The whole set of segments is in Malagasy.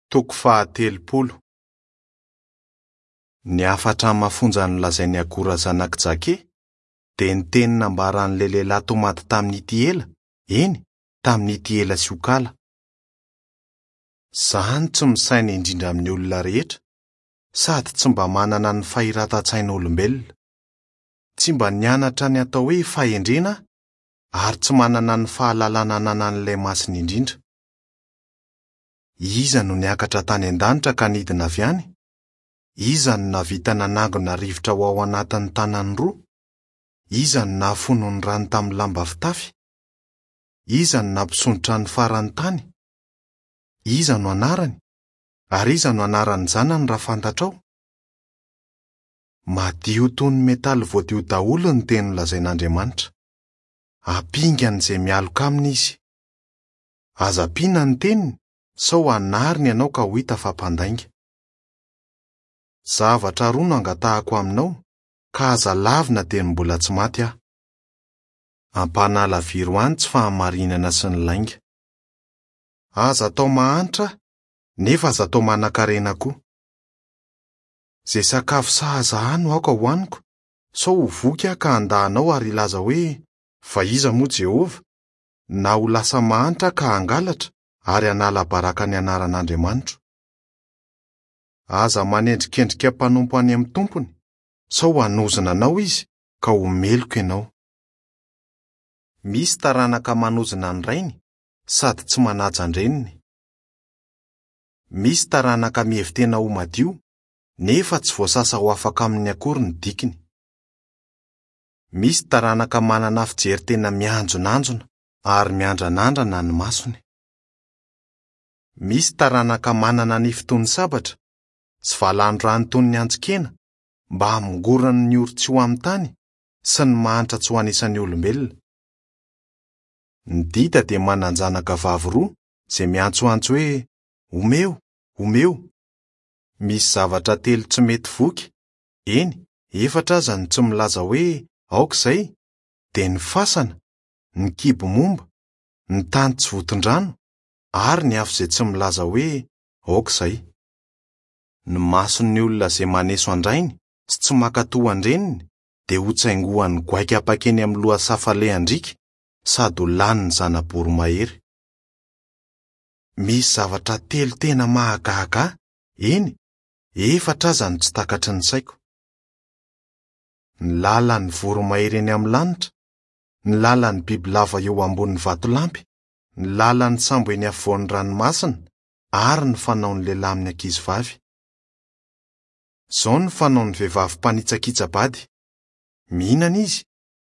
Toko faha-30. Ny hafatra mafonja nolazain'i Agora zanak'i Jake dia ny teny nambaran'ilay lehilahy tomady tamin'i Itiela, eny, tamin'i Itiela sy Okala. Izaho no tsy misaina indrindra amin'ny olona rehetra, sady tsy mba manana ny fahiratan-tsain'olombelona. Tsy mba nianatra ny atao hoe fahendrena aho, ary tsy manana ny fahalalana ananan'ilay Masina Indrindra. Iza no niakatra tany an-danitra ka nidina avy any? Iza no nahavita nanangona rivotra ho ao anatin'ny tanany roa? Iza no nahafono ny rano tamin'ny lamba fitafy? Iza no nampisondrotra ny faran'ny tany? Iza no anarany? Ary iza no anaran'ny zanany raha fantatrao? Madio toy ny metaly voadio daholo ny teny nolazain'Andriamanitra. Ampingan'izay mialoka aminy izy. Aza ampiana ny teniny sao hanariny ianao ka ho hita fa mpandainga. Zavatra roa no angatahako aminao ka aza lavina dieny mbola tsy maty aho. Ampanalaviro ahy ny tsy fahamarinana sy ny lainga. Aza atao mahantra aho nefa aza atao manankarena koa. Izay sakafo sahaza ahy no aoka hohaniko sao ho voky aho ka handà anao ary hilaza hoe, Fa iza moa Jehovah? na ho lasa mahantra ka hangalatra ary hanala baraka ny anaran'Andriamanitro. Aza manendrikendrika mpanompo any amin'ny tompony, sao hanozona anao izy ka ho meloka ianao. Misy taranaka manozona ny rainy sady tsy manaja an-dreniny. Misy taranaka mihevi-tena ho madio, nefa tsy voasasa ho afaka aminy akory ny dikiny. Misy taranaka manana fijery tena mianjonanjona ary miandranandrana ny masony. Misy taranaka manana nify toy ny sabatra sy valan-drano toy ny antsin-kena mba hamongorana ny ory tsy ho amin'ny tany sy ny mahantra tsy ho anisan'ny olombelona. Ny dida dia manan-janaka vavy roa izay miantsoantso hoe, Omeo! Omeo! Misy zavatra telo tsy mety voky, eny, efatra aza no tsy milaza hoe aoka izay, dia ny fasana, ny kibo momba, ny tany tsy vonton-drano, ary ny afo izay tsy milaza hoe aoka izay. Ny mason'ny olona izay maneso an-drainy sy tsy mankatò an-dreniny dia hotsaingohan'ny goaika mpankeny amin'ny lohasaha falehan-driaka sady ho lanin'ny zana-boromahery. Misy zavatra telo tena mahagaga ahy, eny, efatra aza no tsy takatry ny saiko. Ny lalan'ny voromahery eny amin'ny lanitra, ny lalan'ny bibilava eo ambonin'ny vatolampy, ny lalan'ny sambo eny afovoan'ny ranomasina ary ny fanaon'ny lehilahy amin'ny ankizivavy. Izao no fanaon'ny vehivavy mpanitsakitsa-bady, mihinana izy,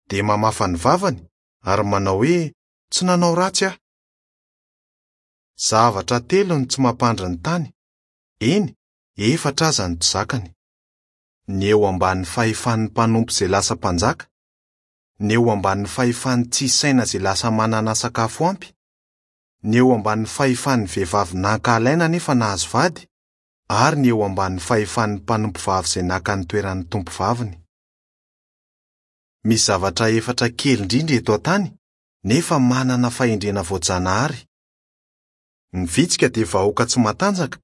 dia mamafa ny vavany ary manao hoe, Tsy nanao ratsy aho. Zavatra telo no tsy mampandry ny tany, eny, efatra aza no tsy zakany. Ny eo ambany fahefan'ny mpanompo izay lasa mpanjaka, ny eo ambany fahefan'ny tsisy saina izay lasa manana sakafo ampy, ny eo ambany fahefan'ny vehivavy nankahalaina nefa nahazo vady, ary ny eo ambany fahefan'ny mpanompovavy izay naka ny toeran'ny tompovaviny. Misy zavatra efatra kely indrindra eto an-tany nefa manana fahendrena voajanahary. Ny vitsika dia vahoaka tsy matanjaka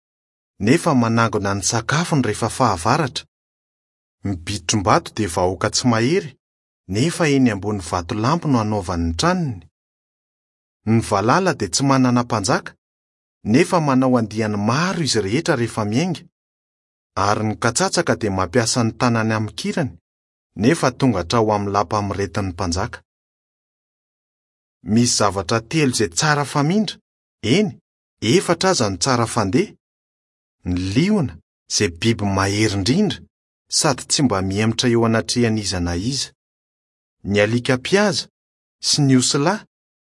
nefa manangona ny sakafony rehefa fahavaratra. Ny bitrom-bato dia vahoaka tsy mahery nefa eny ambony vatolampy no anaovany ny tranony. Ny valala dia tsy manana mpanjaka nefa manao andiany maro izy rehetra rehefa miainga. Ary ny katsatsaka dia mampiasa ny tanany amikirany nefa tonga hatrao amin'ny lapa miretin'ny mpanjaka. Misy zavatra telo izay tsara famindra, eny, efatra aza no tsara fandeha, ny liona izay biby mahery indrindra sady tsy mba mihemotra eo anatrehan'iza na iza, ny alika mpihaza sy ny osilahy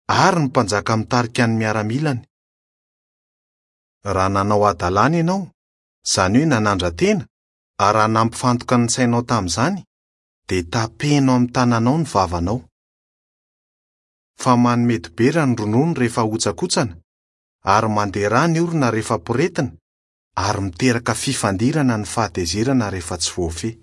ary ny mpanjaka mitarika ny miaramilany. Raha nanao hadalana ianao, izany hoe nanandra-tena, ary raha nampifantoka ny sainao tamin'izany, dia tapeno amin'ny tananao ny vavanao. Fa manome dibera ny ronono rehefa ahotsakotsana, ary mandeha rà ny orona rehefa poretina, ary miteraka fifandirana ny fahatezerana rehefa tsy voafehy.